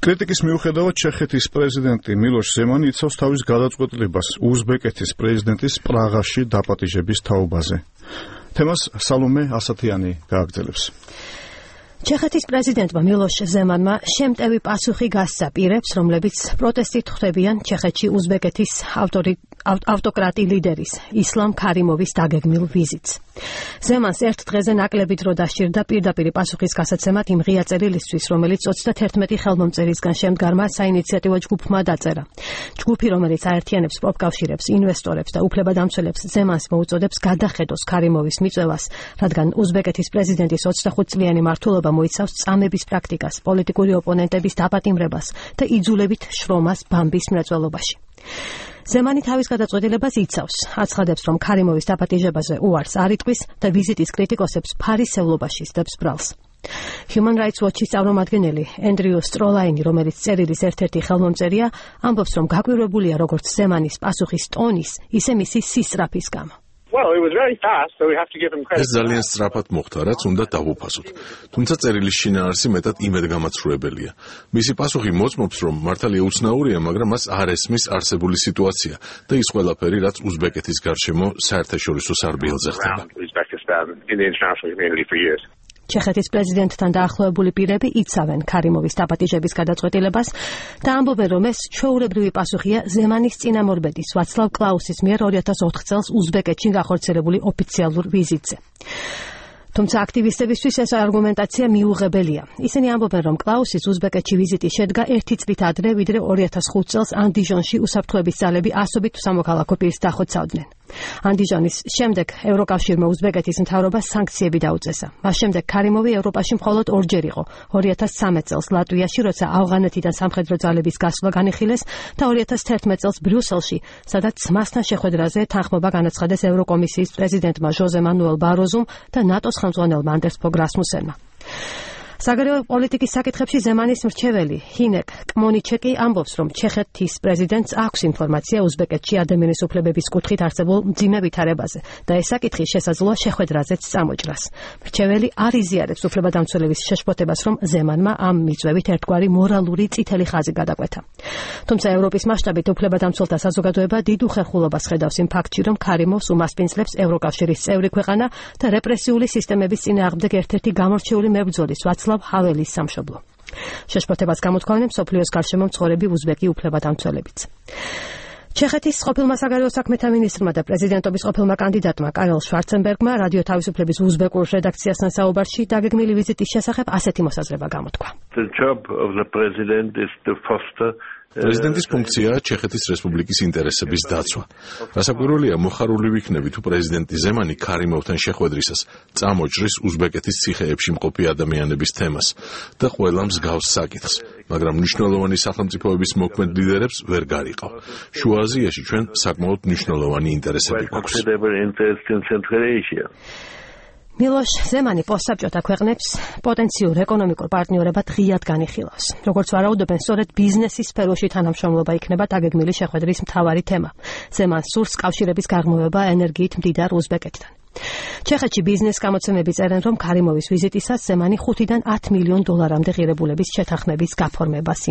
კრიტიკის მიუხედავად ჩეხეთის პრეზიდენტი მილოშ ზემანი იცავს თავის გადაწყვეტილებას უზბეკეთის პრეზიდენტის პრაღაში დაპატიჟების თაობაზე. თემას სალომე ასათიანი გააგრძელებს. ჩეხეთის პრეზიდენტმა მილოშ ზემანმა შემტევი პასუხი გასცა პირებს, რომლებიც პროტესტით ხვდებიან ჩეხეთში უზბეკეთის ავტოკრატი ლიდერის ისლამ ქარიმოვის დაგეგმილ ვიზიტს. ზემანს ერთ დღეზე ნაკლები დრო დასჭირდა პირდაპირ პასუხის გასაცემად იმ ღია წერილისთვის, რომელიც 31 ხელმომწერისგან შემდგარმა საინიციატივო ჯგუფმა დაწერა. ჯგუფი, რომელიც აერთიანებს პროფკავშირებს, ინვესტორებს და უფლებადამცველებს, ზემანს მოუწოდებს გადახედოს ქარიმოვის მიწვევას, რადგან უზბეკეთის პრეზიდენტის 25 წლიანი მმართველობა მოიცავს წამების პრაქტიკას, პოლიტიკური ოპონენტების დაპატიმრებას და იძულებით შრომას ბამბის მრეწველობაში. ზემანი თავის გადაწყვეტილებას იცავს, აცხადებს, რომ ქარიმოვის დაპატიჟებაზე უარს არ იტყვის და ვიზიტის კრიტიკოსებს ფარისევლობაში სდებს ბრალს. Human Rights Watch-ის წარმომადგენელი ენდრიუ სტროლაინი, რომელიც წერილის ერთ-ერთი ხელმომწერია, ამბობს, რომ გაკვირვებულია როგორც ზემანის პასუხის ტონის, ისე მისი სისწრაფის გამო. ეს ძალიან სწრაფად მოხდა, რაც უნდა დავუფასოთ. თუმცა წერილის შინაარსი მეტად იმედგამაცრუებელია. მისი პასუხი მოწმობს, რომ მართალია უცნაურია, მაგრამ მას არ ესმის არსებული სიტუაცია და ის ყველაფერი, რაც უზბეკეთის გარშემო საერთაშორისო სარბიელზე ხდება. ჩეხეთის პრეზიდენტთან დაახლოებული პირები იცავენ ქარიმოვის დაპატიჟების გადაწყვეტილებას და ამბობენ, რომ ეს ჩვეულებრივი პასუხია ზემანის წინამორბედის ვაცლავ კლაუსის მიერ 2004 წელს უზბეკეთში გახორციელებული ოფიციალურ ვიზიტზე. თუმცა აქტივისტებისთვის ეს არგუმენტაცია მიუღებელია. ისინი ამბობენ, რომ კლაუსის უზბეკეთში ვიზიტი შედგა 1 წლით ადრე, ვიდრე 2005 წელს ანდიჟონში უსაფრთხოების ძალები ასობით სამოქალაქო პირს დახოცავდნენ. ანდიჟონის შემდეგ ევროკავშირმა უზბეკეთის მთავრობას სანქციები დაუწესა. მას შემდეგ ქარიმოვი ევროპაში მხოლოდ ორჯერ იყო, 2013 წელს ლატვიაში, როცა ავღანეთიდან სამხედრო ძალების გასვლა განიხილეს და 2011 წელს ბრიუსელში, სადაც მასთან შეხვედრაზე თანხმობა განაცხადეს ევროკომისიის პრეზიდენტმა ჟოზე მანუელ ბაროზუმ და ნატოს ხელმძღვანელმა ანდერს ფოგ რასმუსენმა. საგარეო პოლიტიკის საკითხებში ზემანის მრჩეველი ჰინეკ კმონიჩეკი ამბობს, რომ ჩეხეთის პრეზიდენტს აქვს ინფორმაცია უზბეკეთში ადამიანის უფლებების კუთხით არსებულ მძიმე ვითარებაზე და ეს საკითხი შესაძლოა შეხვედრაზეც წამოჭრას. მრჩეველი არ იზიარებს უფლებადამცველების შეშფოთებას, რომ ზემანმა ამ მიწვევით ერთგვარი მორალური წითელი ხაზი გადაკვეთა. თუმცა ევროპის მასშტაბით უფლებადამცველთა საზოგადოება დიდ უხერხულობას ხედავს იმ ფაქტში, რომ ქარიმოვს უმასპინძლებს ევროკავშირის წევრი ქვეყანა და რეპრესიული სისტემების წინააღმდეგ ერთ-ერთი გამორჩეული მებრძოლის ვაცლავ ჰაველის სამშობლო. შეშფოთებას გამოთქვამენ მსოფლიოს გარშემო მცხოვრები უზბეკი უფლებადამცველებიც. ჩეხეთის ყოფილმა საგარეო საქმეთა მინისტრმა და პრეზიდენტობის ყოფილმა კანდიდატმა კარელ შვარცენბერგმა რადიო თავისუფლების უზბეკურ რედაქციასთან საუბარში დაგეგმილი ვიზიტის შესახებ ასეთი მოსაზრება გამოთქვა. პრეზიდენტის ფუნქციაა ჩეხეთის რესპუბლიკის ინტერესების დაცვა. გასაკვირველია, მოხარული ვიქნები თუ პრეზიდენტი ზემანი ქარიმოვთან შეხვედრისას წამოჭრის უზბეკეთის ციხეებში მყოფი ადამიანების თემას და ყველა მსგავს საკითხს, მაგრამ მნიშვნელოვანი სახელმწიფოების მოქმედ ლიდერებს ვერ გარიყავ. შუა აზიაში ჩვენ საკმაოდ მნიშვნელოვანი ინტერესები გვაქვს. მილოშ ზემანი პოსტსაბჭოთა ქვეყნებს პოტენციურ ეკონომიკურ პარტნიორებად ღიად განიხილავს. როგორც ვარაუდობენ, სწორედ ბიზნესის სფეროში თანამშრომლობა იქნება დაგეგმილი შეხვედრის მთავარი თემა. ზემანს სურს კავშირების გაღრმავება ენერგიით მდიდარ უზბეკეთთან. ჩეხეთში ბიზნეს გამოცემები წერენ, რომ ქარიმოვის ვიზიტისას ზემანი $5 დან $10 მილიონ ღირებულების შეთანხმების გაფორმებას